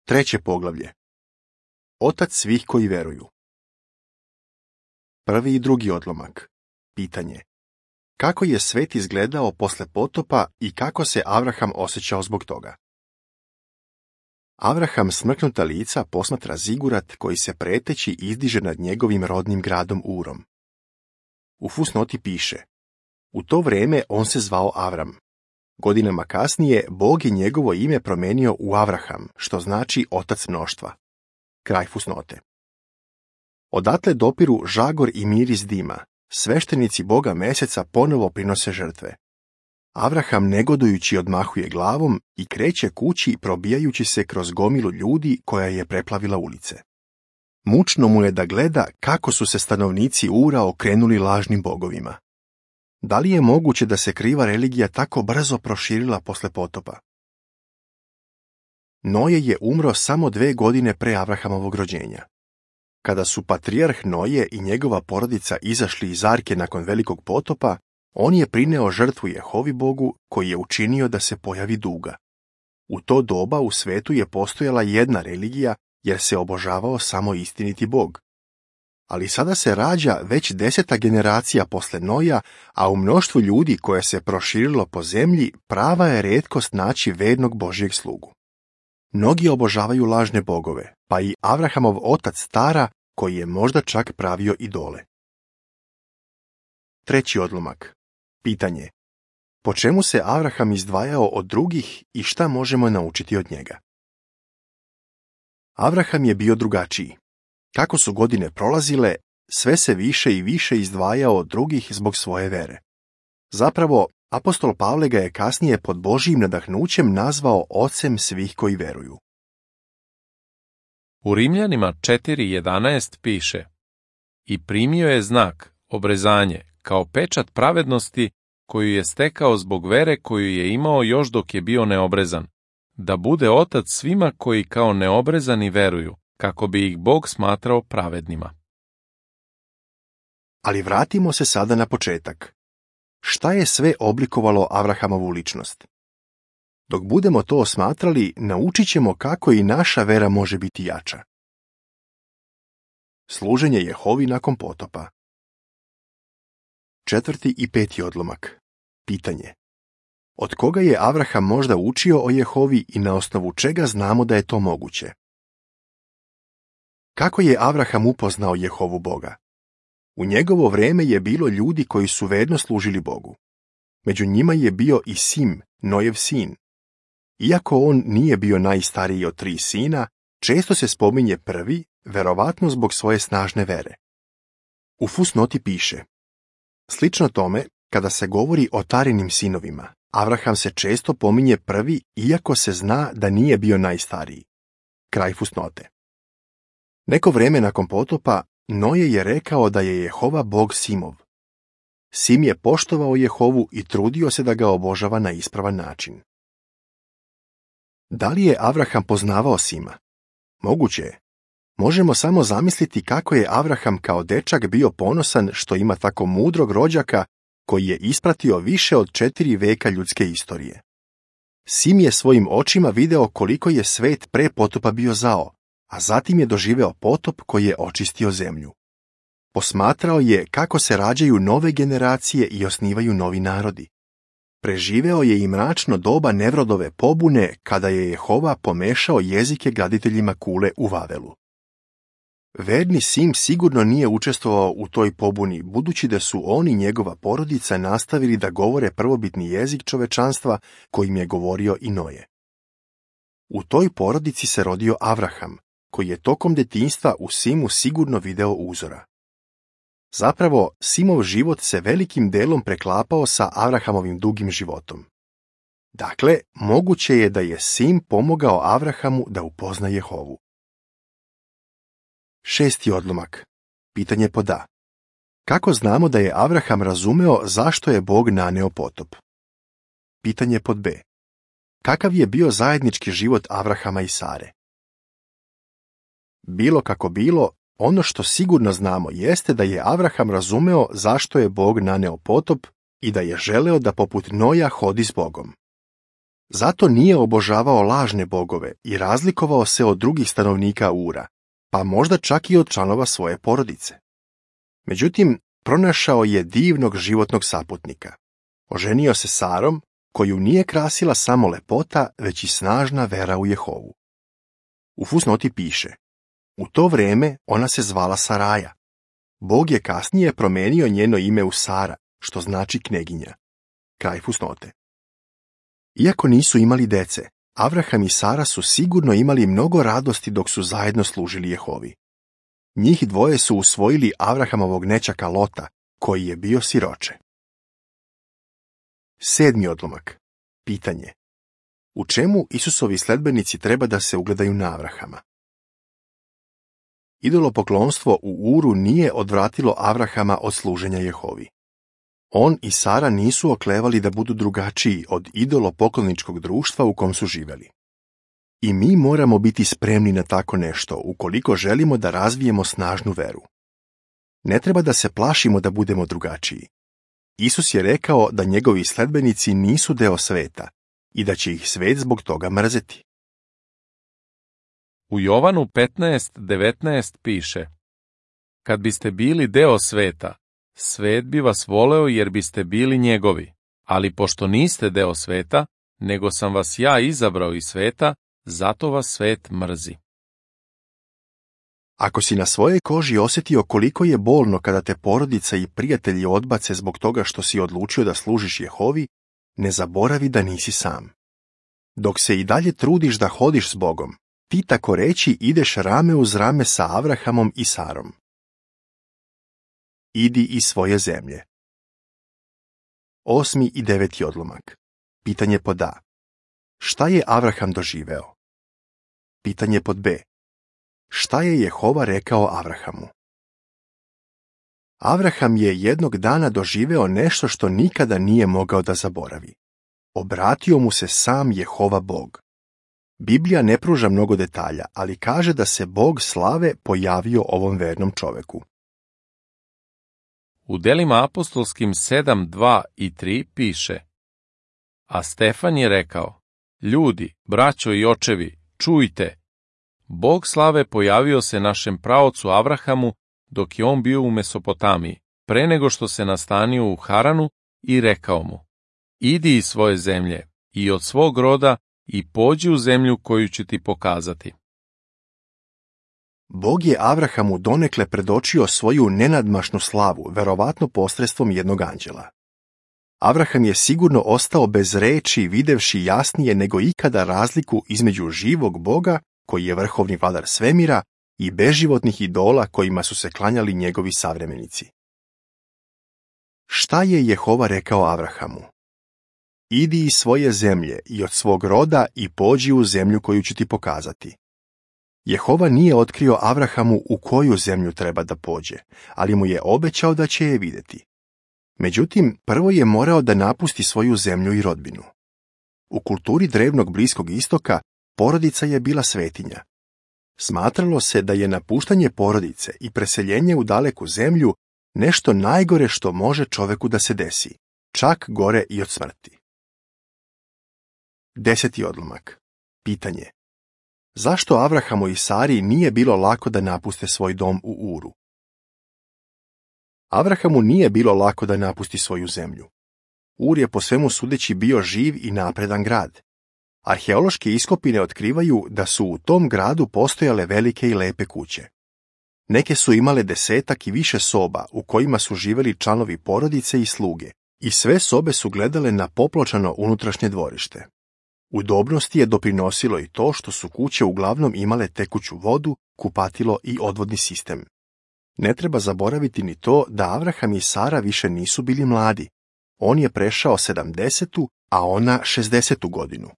Treće poglavlje. Otac svih koji veruju. Prvi i drugi odlomak. Pitanje. Kako je svet izgledao posle potopa i kako se Avraham osjećao zbog toga? Avraham smrknuta lica posmatra zigurat koji se preteći izdiže nad njegovim rodnim gradom Urom. U fusnoti piše: u to vreme on se zvao Avram. Godinama kasnije Bog je njegovo ime promenio u Avraham, što znači otac mnoštva. Kraj fusnote. Odatle dopiru žagor i miris dima. Sveštenici Boga meseca ponovo prinose žrtve. Avraham negodujući odmahuje glavom i kreće kući probijajući se kroz gomilu ljudi koja je preplavila ulice. Mučno mu je da gleda kako su se stanovnici Ura okrenuli lažnim bogovima. Da li je moguće da se kriva religija tako brzo proširila posle potopa? Noje je umro samo 2 godine pre Avrahamovog rođenja. Kada su patrijarh Noje i njegova porodica izašli iz arke nakon velikog potopa, on je prineo žrtvu Jehovi Bogu koji je učinio da se pojavi duga. U to doba u svetu je postojala jedna religija jer se obožavao samo istiniti Bog. Ali sada se rađa već 10. generacija posle Noja, a u mnoštvu ljudi koje se proširilo po zemlji prava je retkost naći vernog Božjeg slugu. Mnogi obožavaju lažne bogove, pa i Avrahamov otac Tara, koji je možda čak pravio idole. Treći odlomak. Pitanje. Po čemu se Avraham izdvajao od drugih i šta možemo naučiti od njega? Avraham je bio drugačiji. Kako su godine prolazile, sve se više i više izdvajao od drugih zbog svoje vere. Zapravo, apostol Pavle ga je kasnije pod Božjim nadahnućem nazvao ocem svih koji veruju. U Rimljanima 4.11 piše: i primio je znak, obrezanje, kao pečat pravednosti koju je stekao zbog vere koju je imao još dok je bio neobrezan, da bude otac svima koji kao neobrezani veruju, kako bi ih Bog smatrao pravednima. Ali vratimo se sada na početak. Šta je sve oblikovalo Avrahamovu ličnost? Dok budemo to osmatrali, naučit ćemo kako i naša vera može biti jača. Služenje Jehovi nakon potopa. 4. i 5. odlomak. Pitanje. Od koga je Avraham možda učio o Jehovi i na osnovu čega znamo da je to moguće? Kako je Avraham upoznao Jehovu Boga? U njegovo vreme je bilo ljudi koji su verno služili Bogu. Među njima je bio i Sim, Nojev sin. Iako on nije bio najstariji od 3 sina, često se spominje prvi, verovatno zbog svoje snažne vere. U fusnoti piše: slično tome, kada se govori o Tarinim sinovima, Avraham se često pominje prvi, iako se zna da nije bio najstariji. Kraj fusnote. Neko vreme nakon potopa, Noje je rekao da je Jehova Bog Simov. Sim je poštovao Jehovu i trudio se da ga obožava na ispravan način. Da li je Avraham poznavao Sima? Moguće je. Možemo samo zamisliti kako je Avraham kao dečak bio ponosan što ima tako mudrog rođaka koji je ispratio više od 4 veka ljudske istorije. Sim je svojim očima video koliko je svet pre potopa bio zao, a zatim je doživeo potop koji je očistio zemlju. Posmatrao je kako se rađaju nove generacije i osnivaju novi narodi. Preživeo je i mračno doba Nevrodove pobune kada je Jehova pomešao jezike graditeljima kule u Vavelu. Verni Sim sigurno nije učestvovao u toj pobuni, budući da su on i njegova porodica nastavili da govore prvobitni jezik čovečanstva kojim je govorio i Noje. U toj porodici se rodio Avraham, koji je tokom detinjstva u Simu sigurno video uzora. Zapravo, Simov život se velikim delom preklapao sa Avrahamovim dugim životom. Dakle, moguće je da je Sim pomogao Avrahamu da upozna Jehovu. 6. odlomak. Pitanje pod A. Kako znamo da je Avraham razumeo zašto je Bog naneo potop? Pitanje pod B. Kakav je bio zajednički život Avrahama i Sare? Bilo kako bilo, ono što sigurno znamo jeste da je Avraham razumeo zašto je Bog naneo potop i da je želeo da poput Noja hodi s Bogom. Zato nije obožavao lažne bogove i razlikovao se od drugih stanovnika Ura, pa možda čak i od članova svoje porodice. Međutim, pronašao je divnog životnog saputnika. Oženio se Sarom, koju nije krasila samo lepota, već i snažna vera u Jehovu. U fusnoti piše: u to vrijeme ona se zvala Saraja. Bog je kasnije promijenio njeno ime u Sara, što znači kneginja. Kraj fusnote. Iako nisu imali dece, Avraham i Sara su sigurno imali mnogo radosti dok su zajedno služili Jehovi. Njih dvoje su usvojili Avrahamovog nećaka Lota, koji je bio siroče. 7. odlomak. Pitanje: u čemu Isusovi sledbenici treba da se ugledaju na Avrahama? Idolopoklonstvo u Uru nije odvratilo Avrahama od služenja Jehovi. On i Sara nisu oklevali da budu drugačiji od idolopokloničkog društva u kom su živeli. I mi moramo biti spremni na tako nešto ukoliko želimo da razvijemo snažnu veru. Ne treba da se plašimo da budemo drugačiji. Isus je rekao da njegovi sledbenici nisu deo sveta i da će ih svet zbog toga mrzeti. U Jovanu 15:19 piše: kad biste bili deo sveta, svet bi vas voleo jer biste bili njegovi, ali pošto niste deo sveta, nego sam vas ja izabrao iz sveta, zato vas svet mrzi. Ako si na svojoj koži osjetio koliko je bolno kada te porodica i prijatelji odbace zbog toga što si odlučio da služiš Jehovi, ne zaboravi da nisi sam. Dok se i dalje trudiš da hodiš s Bogom, ti tako reći ideš rame uz rame sa Avrahamom i Sarom. Idi iz svoje zemlje. 8. i 9. odlomak. Pitanje pod A. Šta je Avraham doživeo? Pitanje pod B. Šta je Jehova rekao Avrahamu? Avraham je jednog dana doživeo nešto što nikada nije mogao da zaboravi. Obratio mu se sam Jehova Bog. Biblija ne pruža mnogo detalja, ali kaže da se Bog slave pojavio ovom vernom čoveku. U delima apostolskim 7:2 i 3 piše: a Stefan je rekao: ljudi, braćo i očevi, čujte! Bog slave pojavio se našem praocu Avrahamu dok je on bio u Mesopotamiji, pre nego što se nastanio u Haranu, i rekao mu: idi iz svoje zemlje i od svog roda i pođi u zemlju koju ću ti pokazati. Bog je Avrahamu donekle predočio svoju nenadmašnu slavu, verovatno posredstvom jednog anđela. Avraham je sigurno ostao bez reči, videvši jasnije nego ikada razliku između živog Boga, koji je vrhovni vladar svemira, i beživotnih idola kojima su se klanjali njegovi savremenici. Šta je Jehova rekao Avrahamu? Idi iz svoje zemlje i od svog roda i pođi u zemlju koju ću ti pokazati. Jehova nije otkrio Avrahamu u koju zemlju treba da pođe, ali mu je obećao da će je vidjeti. Međutim, prvo je morao da napusti svoju zemlju i rodbinu. U kulturi drevnog Bliskog istoka porodica je bila svetinja. Smatralo se da je napuštanje porodice i preseljenje u daleku zemlju nešto najgore što može čoveku da se desi, čak gore i od smrti. 10. odlomak. Pitanje: zašto Avrahamu i Sari nije bilo lako da napuste svoj dom u Uru? Avrahamu nije bilo lako da napusti svoju zemlju. Ur je po svemu sudeći bio živ i napredan grad. Arheološke iskopine otkrivaju da su u tom gradu postojale velike i lepe kuće. Neke su imale 10 i više soba u kojima su živeli članovi porodice i sluge, i sve sobe su gledale na popločano unutrašnje dvorište. Udobnosti je doprinosilo i to što su kuće uglavnom imale tekuću vodu, kupatilo i odvodni sistem. Ne treba zaboraviti ni to da Avraham i Sara više nisu bili mladi. On je prešao 70, a ona 60 godinu.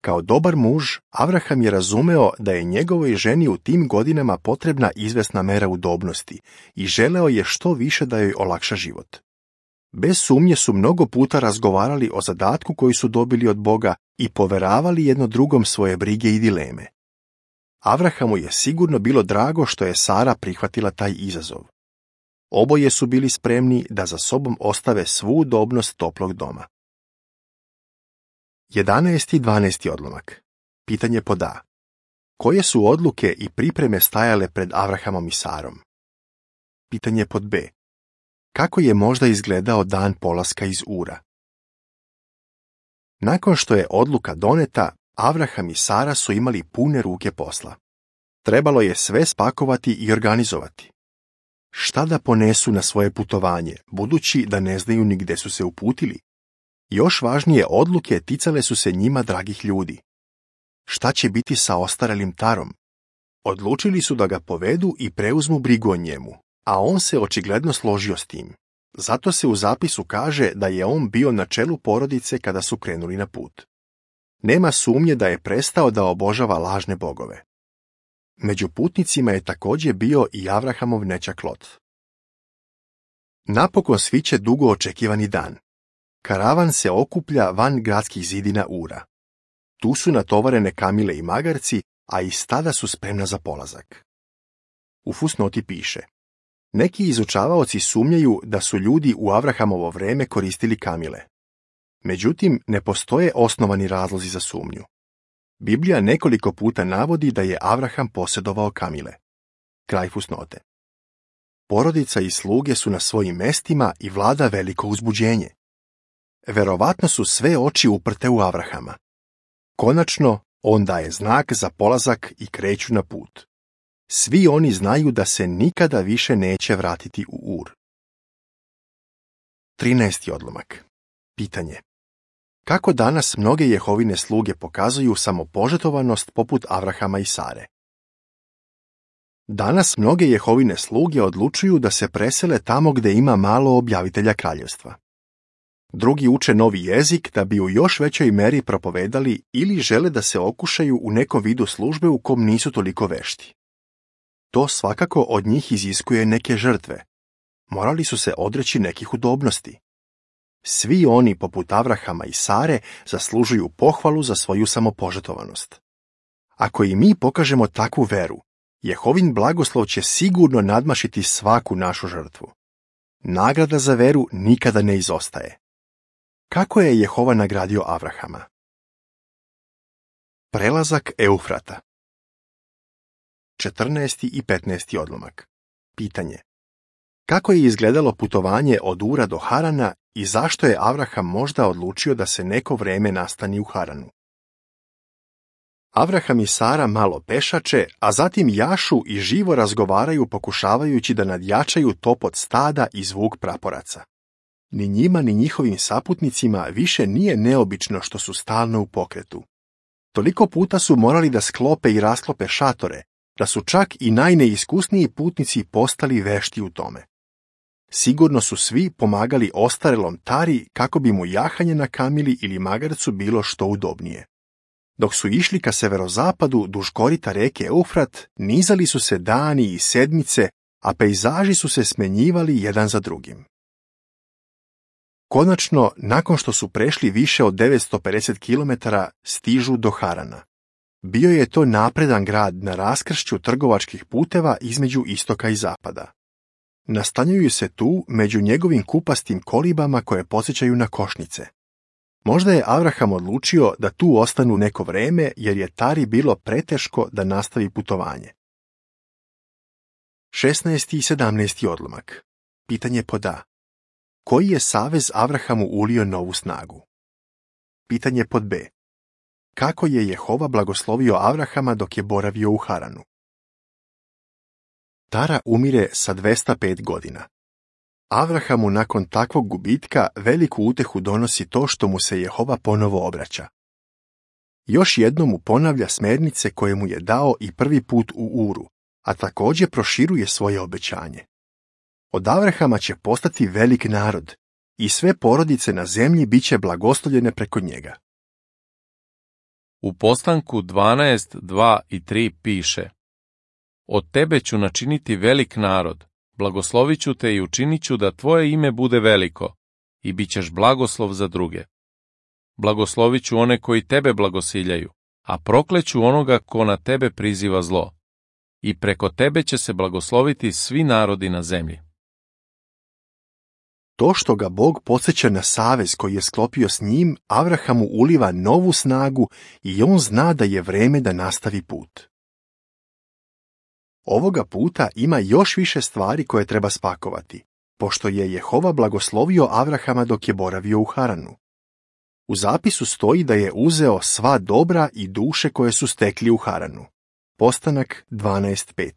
Kao dobar muž, Avraham je razumeo da je njegovoj ženi u tim godinama potrebna izvesna mera udobnosti i želeo je što više da joj olakša život. Bez sumnje su mnogo puta razgovarali o zadatku koji su dobili od Boga i poveravali jedno drugom svoje brige i dileme. Avrahamu je sigurno bilo drago što je Sara prihvatila taj izazov. Oboje su bili spremni da za sobom ostave svu udobnost toplog doma. 11. i 12. odlomak. Pitanje pod A. Koje su odluke i pripreme stajale pred Avrahamom i Sarom? Pitanje pod B. Kako je možda izgledao dan polaska iz Ura? Nakon što je odluka doneta, Avraham i Sara su imali pune ruke posla. Trebalo je sve spakovati i organizovati. Šta da ponesu na svoje putovanje, budući da ne znaju ni gde su se uputili? Još važnije odluke ticale su se njima dragih ljudi. Šta će biti sa ostarelim Tarom? Odlučili su da ga povedu i preuzmu brigu o njemu, a on se očigledno složio s tim. Zato se u zapisu kaže da je on bio na čelu porodice kada su krenuli na put. Nema sumnje da je prestao da obožava lažne bogove. Među putnicima je također bio i Avrahamov nećak Lot. Napokon sviće dugo očekivani dan. Karavan se okuplja van gradskih zidina Ura. Tu su natovarene kamile i magarci, a i stada su spremna za polazak. U fusnoti piše: neki izučavaoci sumnjaju da su ljudi u Avrahamovo vreme koristili kamile. Međutim, ne postoje osnovani razlozi za sumnju. Biblija nekoliko puta navodi da je Avraham posjedovao kamile. Kraj fusnote. Porodica i sluge su na svojim mestima i vlada veliko uzbuđenje. Verovatno su sve oči uprte u Avrahama. Konačno, on daje znak za polazak i kreću na put. Svi oni znaju da se nikada više neće vratiti u Ur. 13. odlomak. Pitanje. Kako danas mnoge Jehovine sluge pokazuju samopožrtvovanost poput Avrahama i Sare? Danas mnoge Jehovine sluge odlučuju da se presele tamo gde ima malo objavitelja kraljevstva. Drugi uče novi jezik da bi u još većoj meri propovedali ili žele da se okušaju u nekom vidu službe u kom nisu toliko vešti. To svakako od njih iziskuje neke žrtve. Morali su se odreći nekih udobnosti. Svi oni, poput Avrahama i Sare, zaslužuju pohvalu za svoju samopožrtvovanost. Ako i mi pokažemo takvu veru, Jehovin blagoslov će sigurno nadmašiti svaku našu žrtvu. Nagrada za veru nikada ne izostaje. Kako je Jehova nagradio Avrahama? Prelazak Eufrata. 14. i 15. odlomak. Pitanje. Kako je izgledalo putovanje od Ura do Harana i zašto je Avraham možda odlučio da se neko vreme nastani u Haranu? Avraham i Sara malo pešače, a zatim jašu i živo razgovaraju pokušavajući da nadjačaju topot stada i zvuk praporaca. Ni njima ni njihovim saputnicima više nije neobično što su stalno u pokretu. Toliko puta su morali da sklope i rasklope šatore, da su čak i najneiskusniji putnici postali vešti u tome. Sigurno su svi pomagali ostarelom Tari kako bi mu jahanje na kamili ili magarcu bilo što udobnije. Dok su išli ka severozapadu duž korita reke Eufrat, nizali su se dani i sedmice, a pejzaži su se smenjivali jedan za drugim. Konačno, nakon što su prešli više od 950 km, stižu do Harana. Bio je to napredan grad na raskršću trgovačkih puteva između istoka i zapada. Nastanjuju se tu među njegovim kupastim kolibama koje podsjećaju na košnice. Možda je Avraham odlučio da tu ostanu neko vreme jer je Tari bilo preteško da nastavi putovanje. 16. i 17. odlomak. Pitanje pod A. Koji je savez Avrahamu ulio novu snagu? Pitanje pod B. Kako je Jehova blagoslovio Avrahama dok je boravio u Haranu? Tara umire sa 205 godina. Avrahamu nakon takvog gubitka veliku utehu donosi to što mu se Jehova ponovo obraća. Još jednom mu ponavlja smernice koje mu je dao i prvi put u Uru, a također proširuje svoje obećanje. Od Avrahama će postati velik narod i sve porodice na zemlji biće blagoslovljene preko njega. U Postanku 12, 2 i 3 piše: Od tebe ću načiniti velik narod, blagoslovit ću te i učinit ću da tvoje ime bude veliko, i bit ćeš blagoslov za druge. Blagoslovit ću one koji tebe blagosiljaju, a prokleću onoga ko na tebe priziva zlo. I preko tebe će se blagosloviti svi narodi na zemlji. To što ga Bog podsjeća na savez koji je sklopio s njim, Avrahamu uliva novu snagu i on zna da je vreme da nastavi put. Ovoga puta ima još više stvari koje treba spakovati, pošto je Jehova blagoslovio Avrahama dok je boravio u Haranu. U zapisu stoji da je uzeo sva dobra i duše koje su stekli u Haranu. Postanak 12.5.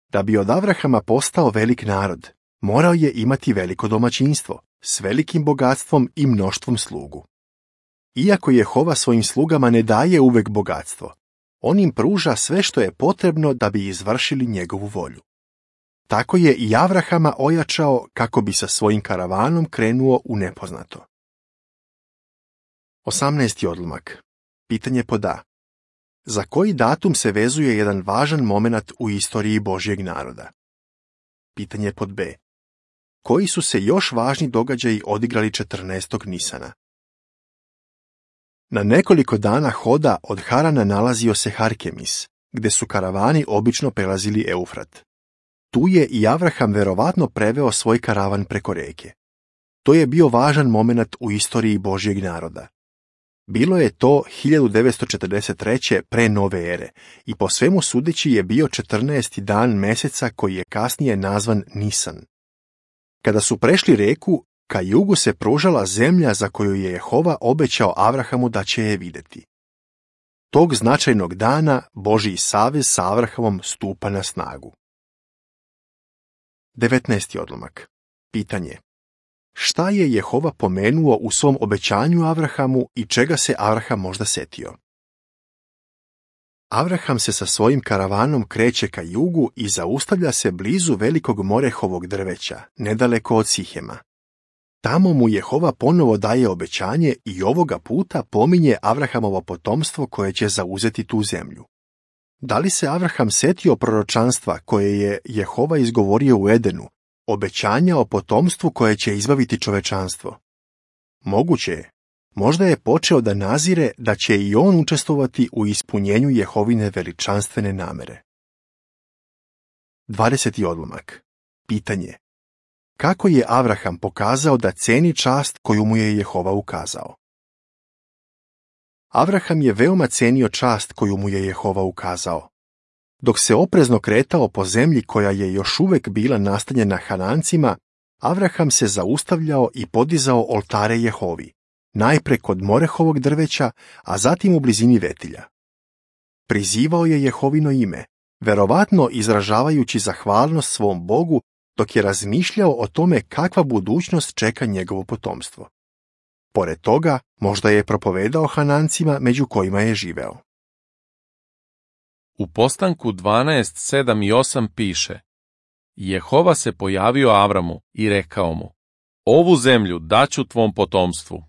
Da bi od Avrahama postao velik narod, morao je imati veliko domaćinstvo, s velikim bogatstvom i mnoštvom slugu. Iako Jehova svojim slugama ne daje uvek bogatstvo, on im pruža sve što je potrebno da bi izvršili njegovu volju. Tako je i Avrahama ojačao kako bi sa svojim karavanom krenuo u nepoznato. 18. odlomak. Pitanje pod A. Za koji datum se vezuje jedan važan momenat u istoriji Božjeg naroda? Pitanje pod B. Koji su se još važni događaji odigrali 14. Nisana? Na nekoliko dana hoda od Harana nalazio se Harkemis, gde su karavani obično prelazili Eufrat. Tu je i Avraham verovatno preveo svoj karavan preko reke. To je bio važan momenat u istoriji Božjeg naroda. Bilo je to 1943. pre nove ere i po svemu sudeći je bio 14. dan meseca koji je kasnije nazvan Nisan. Kada su prešli reku, ka jugu se pružala zemlja za koju je Jehova obećao Avrahamu da će je videti. Tog značajnog dana Božji savez sa Avrahamom stupa na snagu. 19. odlomak. Pitanje. Šta je Jehova pomenuo u svom obećanju Avrahamu i čega se Avraham možda setio? Avraham se sa svojim karavanom kreće ka jugu i zaustavlja se blizu velikog morehovog drveća, nedaleko od Sihema. Tamo mu Jehova ponovo daje obećanje i ovoga puta pominje Avrahamovo potomstvo koje će zauzeti tu zemlju. Da li se Avraham setio proročanstva koje je Jehova izgovorio u Edenu, obećanja o potomstvu koje će izbaviti čovečanstvo? Moguće je. Možda je počeo da nazire da će i on učestvovati u ispunjenju Jehovine veličanstvene namere. 20. odlomak. Pitanje. Kako je Avraham pokazao da ceni čast koju mu je Jehova ukazao? Avraham je veoma cenio čast koju mu je Jehova ukazao. Dok se oprezno kretao po zemlji koja je još uvek bila nastanjena Hanancima, Avraham se zaustavljao i podizao oltare Jehovi, najpre kod morehovog drveća, a zatim u blizini vetilja. Prizivao je Jehovino ime, verovatno izražavajući zahvalnost svom Bogu dok je razmišljao o tome kakva budućnost čeka njegovo potomstvo. Pored toga, možda je propovedao Hanancima među kojima je živeo. U Postanku 12, 7 i 8 piše: Jehova se pojavio Avramu i rekao mu: Ovu zemlju daću tvom potomstvu.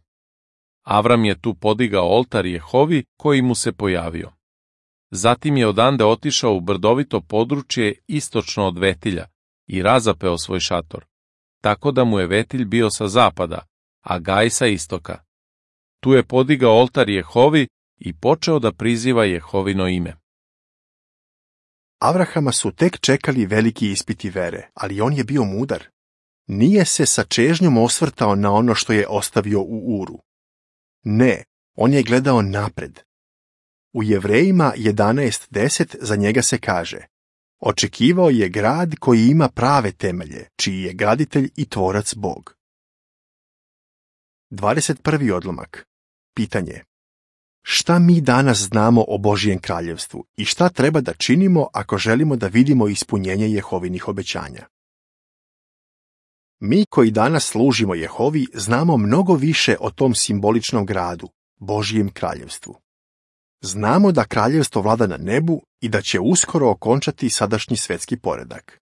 Avram je tu podigao oltar Jehovi koji mu se pojavio. Zatim je odande otišao u brdovito područje istočno od vetilja i razapeo svoj šator, tako da mu je vetilj bio sa zapada, a Gaj sa istoka. Tu je podigao oltar Jehovi i počeo da priziva Jehovino ime. Avrahama su tek čekali veliki ispiti vere, ali on je bio mudar. Nije se sa čežnjom osvrtao na ono što je ostavio u Uru. Ne, on je gledao napred. U Jevrejima 11.10 za njega se kaže: Očekivao je grad koji ima prave temelje, čiji je graditelj i tvorac Bog. 21. odlomak. Pitanje. Šta mi danas znamo o Božjem kraljevstvu i šta treba da činimo ako želimo da vidimo ispunjenje Jehovinih obećanja? Mi koji danas služimo Jehovi znamo mnogo više o tom simboličnom gradu, Božjem kraljevstvu. Znamo da kraljevstvo vlada na nebu i da će uskoro okončati sadašnji svetski poredak.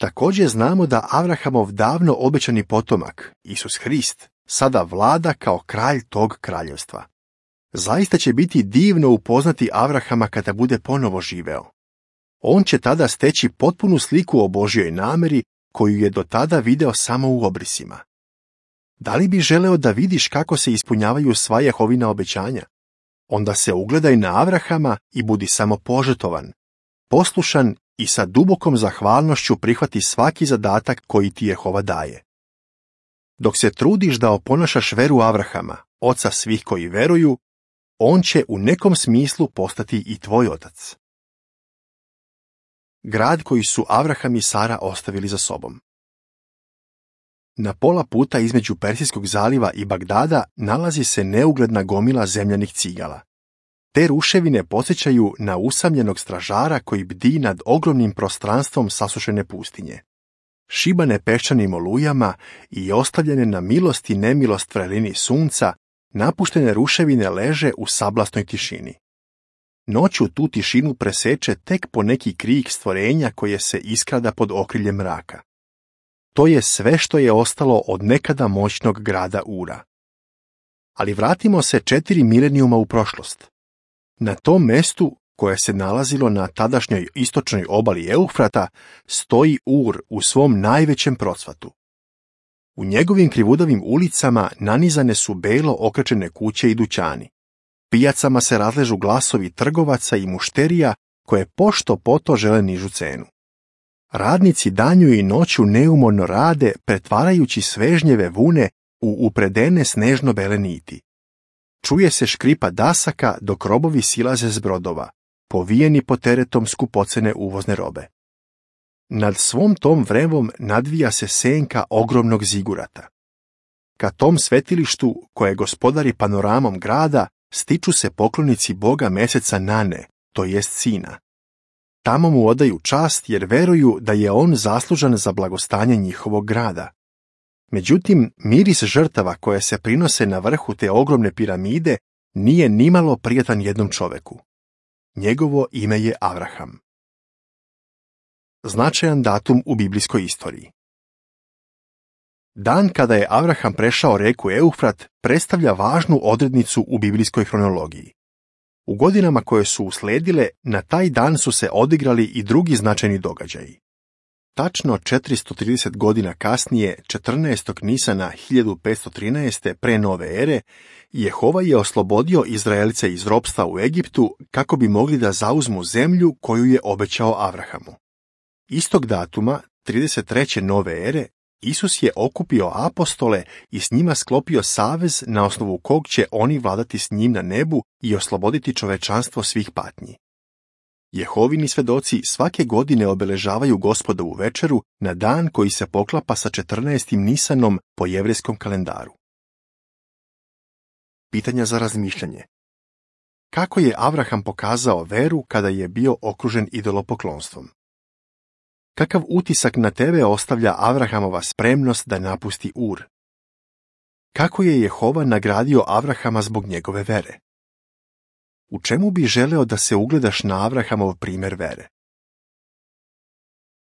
Također znamo da Avrahamov davno obećani potomak, Isus Hrist, sada vlada kao kralj tog kraljevstva. Zaista će biti divno upoznati Avrahama kada bude ponovo živeo. On će tada steći potpunu sliku o Božjoj nameri koju je do tada video samo u obrisima. Da li bi želeo da vidiš kako se ispunjavaju sva Jehovina obećanja? Onda se ugledaj na Avrahama i budi samo požrtovan, poslušan i sa dubokom zahvalnošću prihvati svaki zadatak koji ti Jehova daje. Dok se trudiš da oponašaš veru Avrahama, oca svih koji veruju, on će u nekom smislu postati i tvoj otac. Grad koji su Avraham i Sara ostavili za sobom. Na pola puta između Persijskog zaliva i Bagdada nalazi se neugledna gomila zemljanih cigala. Te ruševine podsjećaju na usamljenog stražara koji bdi nad ogromnim prostranstvom sasušene pustinje. Šibane peščanim olujama i ostavljene na milost i nemilost vrelini sunca, napuštene ruševine leže u sablasnoj tišini. Noću tu tišinu preseče tek po neki krik stvorenja koje se iskrada pod okriljem mraka. To je sve što je ostalo od nekada moćnog grada Ura. Ali vratimo se 4 milenijuma u prošlost. Na tom mestu, koje se nalazilo na tadašnjoj istočnoj obali Eufrata, stoji Ur u svom najvećem procvatu. U njegovim krivudavim ulicama nanizane su belo okrečene kuće i dućani. Pijacama se razležu glasovi trgovaca i mušterija koje pošto poto žele nižu cenu. Radnici danju i noću neumorno rade, pretvarajući svežnjeve vune u upredene snežno bele niti. Čuje se škripa dasaka dok robovi silaze s brodova, povijeni pod teretom skupocene uvozne robe. Nad svom tom vrevom nadvija se senka ogromnog zigurata. Ka tom svetilištu, koje gospodari panoramom grada, stiču se poklonici boga meseca Nane, to jest sina. Tamo mu odaju čast jer veruju da je on zaslužan za blagostanje njihovog grada. Međutim, miris žrtava koje se prinose na vrhu te ogromne piramide nije nimalo prijatan jednom čoveku. Njegovo ime je Avraham. Značajan datum u biblijskoj istoriji. Dan kada je Avraham prešao reku Eufrat predstavlja važnu odrednicu u biblijskoj hronologiji. U godinama koje su usledile, na taj dan su se odigrali i drugi značajni događaji. Tačno 430 godina kasnije, 14. Nisana 1513. pre nove ere, Jehova je oslobodio Izraelce iz ropstva u Egiptu kako bi mogli da zauzmu zemlju koju je obećao Avrahamu. Istog datuma, 33. nove ere, Isus je okupio apostole i s njima sklopio savez na osnovu kog će oni vladati s njim na nebu i osloboditi čovečanstvo svih patnji. Jehovini svedoci svake godine obeležavaju Gospodovu večeru na dan koji se poklapa sa 14. Nisanom po jevrejskom kalendaru. Pitanja za razmišljanje. Kako je Avraham pokazao veru kada je bio okružen idolopoklonstvom? Kakav utisak na tebe ostavlja Avrahamova spremnost da napusti Ur? Kako je Jehova nagradio Avrahama zbog njegove vere? U čemu bi želeo da se ugledaš na Avrahamov primjer vere?